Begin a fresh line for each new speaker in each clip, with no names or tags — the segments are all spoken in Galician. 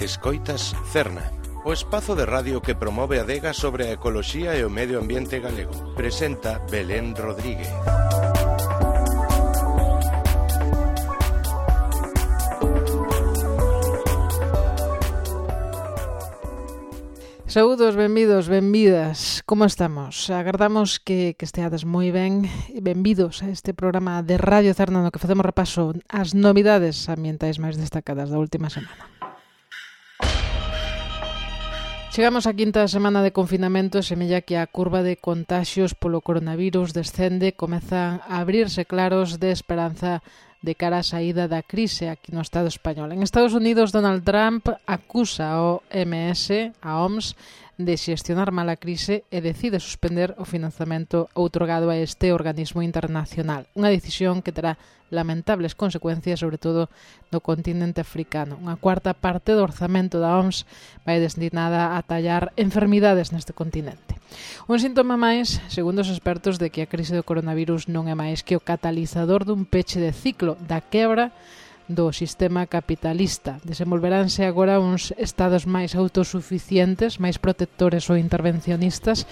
Escoitas Cerna, o espazo de radio que promove a adega sobre a ecoloxía e o medio ambiente galego. Presenta Belén Rodríguez.
Saúdos, benvidos, benvidas. Como estamos? Agardamos que esteades moi ben e benvidos a este programa de Radio Cerna no que facemos repaso ás novidades ambientais máis destacadas da última semana. Chegamos á quinta semana de confinamento e semella que a curva de contaxios polo coronavirus descende, comezan a abrirse claros de esperanza de cara á saída da crise aquí no Estado español. En Estados Unidos, Donald Trump acusa ao OMS, de xestionar mal a crise e decide suspender o financiamento outorgado a este organismo internacional. Unha decisión que terá lamentables consecuencias, sobre todo no continente africano. Unha cuarta parte do orzamento da OMS vai destinada a tallar enfermidades neste continente. Un síntoma máis, segundo os expertos, de que a crise do coronavirus non é máis que o catalizador dun peche de ciclo da quebra do sistema capitalista. Desenvolveránse agora uns estados máis autosuficientes, máis protectores ou intervencionistas,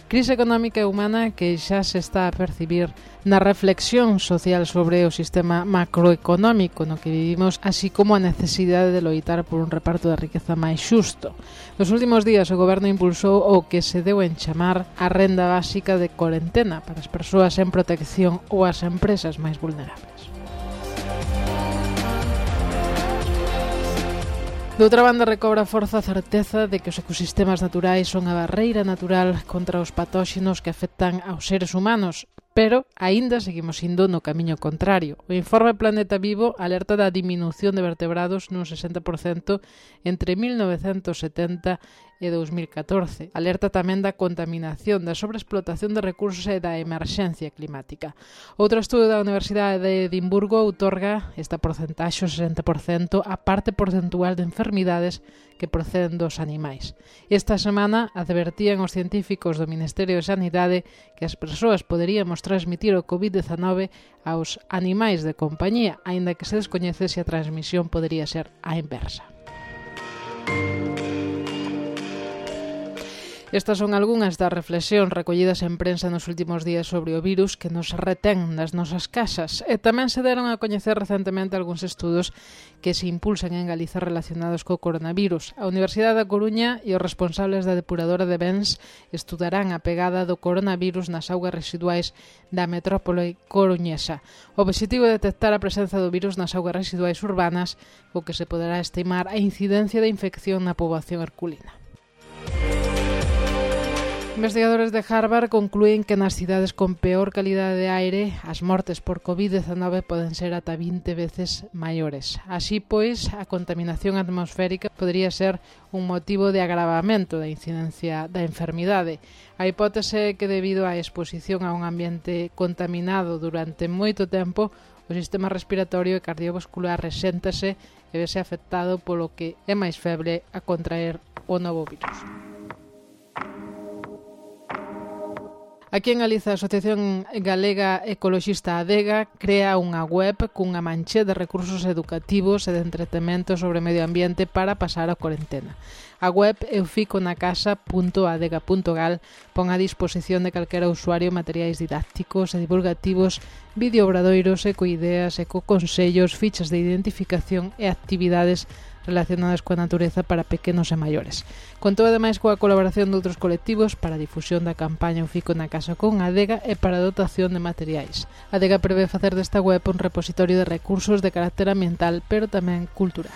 crise económica e humana que xa se está a percibir na reflexión social sobre o sistema macroeconómico no que vivimos, así como a necesidade de loitar por un reparto da riqueza máis xusto. Nos últimos días o goberno impulsou o que se deu en chamar a renda básica de corentena para as persoas en protección ou as empresas máis vulnerables. De outra banda, recobra forza a certeza de que os ecosistemas naturais son a barreira natural contra os patóxenos que afectan aos seres humanos, pero aínda seguimos indo no camiño contrario. O informe Planeta Vivo alerta da diminución de vertebrados nun 60% entre 1970 e 2014. Alerta tamén da contaminación, da sobreexplotación de recursos e da emerxencia climática. Outro estudo da Universidade de Edimburgo outorga esta porcentaxe, o 60%, a parte porcentual de enfermidades que proceden dos animais. Esta semana advertían os científicos do Ministerio de Sanidade que as persoas poderíamos transmitir o COVID-19 aos animais de compañía, aínda que se descoñece se a transmisión podería ser a inversa. Estas son algunhas das reflexións recollidas en prensa nos últimos días sobre o virus que nos retén nas nosas casas. E tamén se deron a coñecer recentemente algúns estudos que se impulsan en Galiza relacionados co coronavirus. A Universidade da Coruña e os responsables da depuradora de Bens estudarán a pegada do coronavirus nas augas residuais da metrópole coruñesa. O obxectivo é detectar a presenza do virus nas augas residuais urbanas, o que se poderá estimar a incidencia de infección na poboación herculina. Investigadores de Harvard conclúen que nas cidades con peor calidade de aire as mortes por COVID-19 poden ser ata 20 veces maiores. Así pois, a contaminación atmosférica podría ser un motivo de agravamento da incidencia da enfermidade. A hipótese é que debido á exposición a un ambiente contaminado durante moito tempo, o sistema respiratorio e cardiovascular reséntase e vese afectado polo que é máis feble a contraer o novo virus. Aquí en Galiza, a Asociación Galega Ecoloxista Adega crea unha web cunha manche de recursos educativos e de entretemento sobre medio ambiente para pasar a cuarentena. A web euficonacasa.adega.gal pon a disposición de calquera usuario materiais didácticos e divulgativos, videoobradoiros, ecoideas, ecoconsellos, fichas de identificación e actividades relacionadas coa natureza para pequenos e maiores. Contou ademais coa colaboración de outros colectivos para a difusión da campaña Eu Fico na Casa con Adega e para a dotación de materiais. Adega prevé facer desta web un repositorio de recursos de carácter ambiental, pero tamén cultural.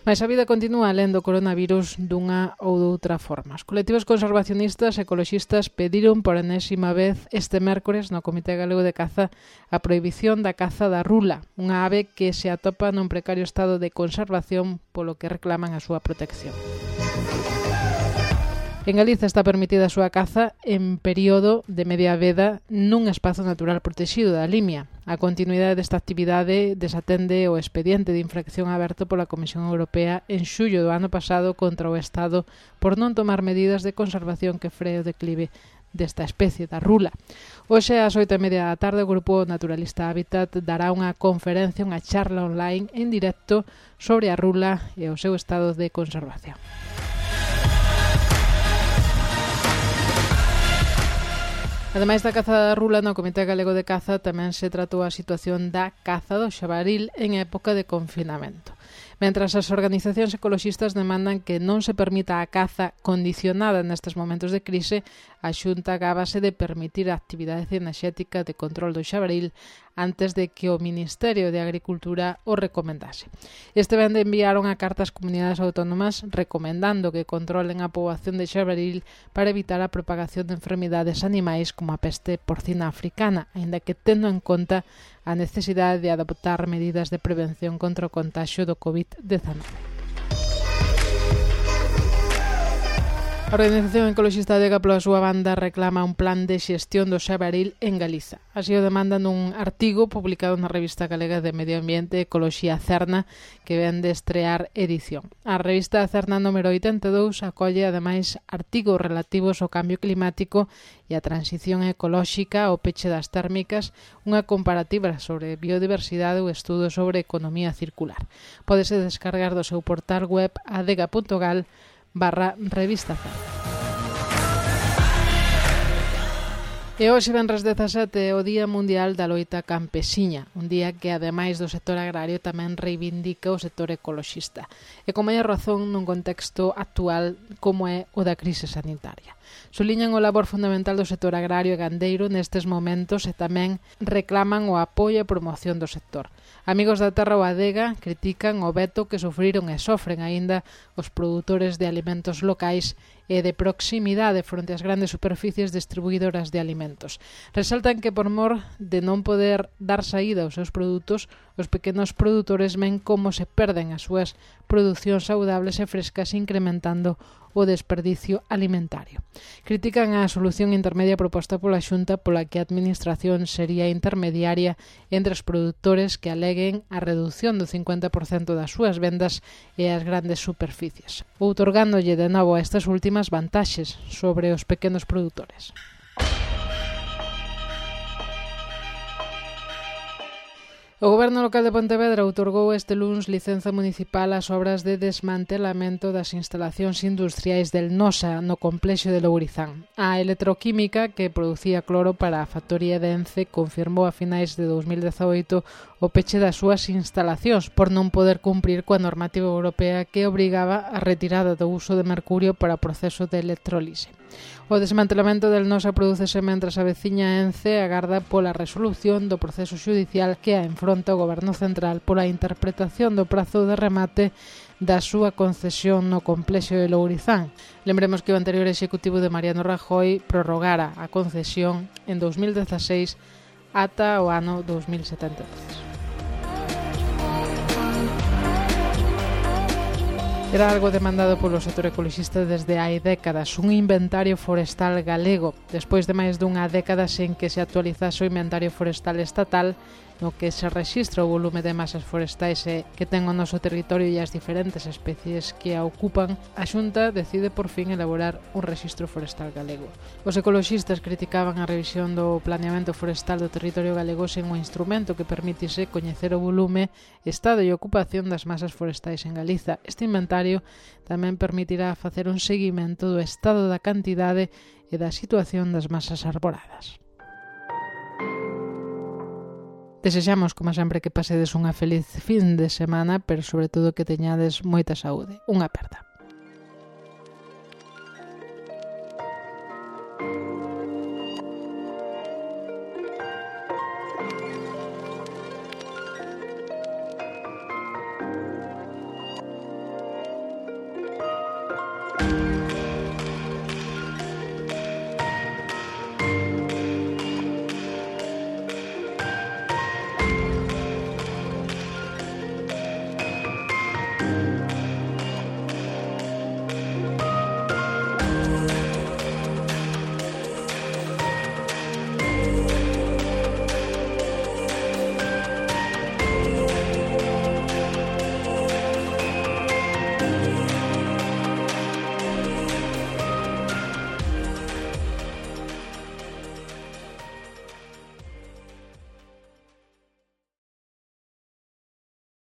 Mais a vida continúa alén do coronavirus dunha ou doutra forma. Os colectivos conservacionistas e ecoloxistas pediron por enésima vez este mércores no Comité Galego de Caza a prohibición da caza da rula, unha ave que se atopa nun precario estado de conservación polo que reclaman a súa protección. En Galiza está permitida a súa caza en período de media veda nun espazo natural protexido da Limia. A continuidade desta actividade desatende o expediente de infracción aberto pola Comisión Europea en xullo do ano pasado contra o Estado por non tomar medidas de conservación que free o declive desta especie, da rula. Hoxe, ás 8:30 da tarde, o Grupo Naturalista Hábitat dará unha conferencia, unha charla online en directo sobre a rula e o seu estado de conservación. Ademais da caza da rula, no Comité Galego de Caza tamén se tratou a situación da caza do xabaril en época de confinamento. Mentras as organizacións ecoloxistas demandan que non se permita a caza condicionada nestes momentos de crise, a Xunta gábase de permitir a actividade cinexética de control do xabaril antes de que o Ministerio de Agricultura o recomendase. Este vende enviaron a carta ás comunidades autónomas recomendando que controlen a poboación de xabaril para evitar a propagación de enfermidades animais como a peste porcina africana, aínda que tendo en conta a necesidade de adoptar medidas de prevención contra o contaxio do COVID-19. A Organización Ecoloxista Adega, pola súa banda, reclama un plan de xestión do xabaril en Galiza. Así o demanda nun artigo publicado na revista galega de Medio Ambiente Ecoloxía Cerna, que ven de estrear edición. A revista Cerna número 82 acolle, ademais, artigos relativos ao cambio climático e a transición ecolóxica, ao peche das térmicas, unha comparativa sobre biodiversidade ou estudo sobre economía circular. Pódese descargar do seu portal web adega.gal/revista Cerna. E hoxe, venres 17, é o Día Mundial da Loita Campesiña, un día que, ademais do sector agrario, tamén reivindica o sector ecoloxista, e con maior razón nun contexto actual como é o da crise sanitaria. Suliñan o labor fundamental do sector agrario e gandeiro nestes momentos e tamén reclaman o apoio e promoción do sector. Amigos da Terra ou Adega critican o veto que sufriron e sofren aínda os produtores de alimentos locais e de proximidade fronte ás grandes superficies distribuidoras de alimentos. Resaltan que por mor de non poder dar saída aos seus produtos, os pequenos produtores ven como se perden as súas producións saudables e frescas, incrementando o desperdicio alimentario. Critican a solución intermedia proposta pola Xunta, pola que a Administración sería intermediaria entre os produtores que aleguen a reducción do 50% das súas vendas e as grandes superficies, outorgándolle de novo a estas últimas vantaxes sobre os pequenos produtores. O Goberno local de Pontevedra outorgou este luns licenza municipal ás obras de desmantelamento das instalacións industriais del Nosa no complexo de Lourizán. A electroquímica que producía cloro para a factoría de Ence confirmou a finais de 2018 o peche das súas instalacións por non poder cumprir coa normativa europea que obrigaba a retirada do uso de mercurio para o proceso de electrólise. O desmantelamento del Nosa prodúcese mentras a veciña Ence agarda pola resolución do proceso xudicial que a enfronta o Goberno Central pola interpretación do prazo de remate da súa concesión no complexo de Lourizán. Lembremos que o anterior executivo de Mariano Rajoy prorrogara a concesión en 2016 ata o ano 2073. Era algo demandado polo sector ecoloxista desde hai décadas, un inventario forestal galego, despois de máis dunha década sen que se actualizase o inventario forestal estatal, no que se rexistra o volume de masas forestais que ten o noso territorio e as diferentes especies que a ocupan. A Xunta decide por fin elaborar un rexistro forestal galego. Os ecoloxistas criticaban a revisión do planeamento forestal do territorio galego sen un instrumento que permitise coñecer o volume, estado e ocupación das masas forestais en Galiza. Este inventario tamén permitirá facer un seguimento do estado da cantidade e da situación das masas arboradas. Desexamos, como sempre, que pasedes unha feliz fin de semana, pero sobre todo que teñades moita saúde. Unha aperta.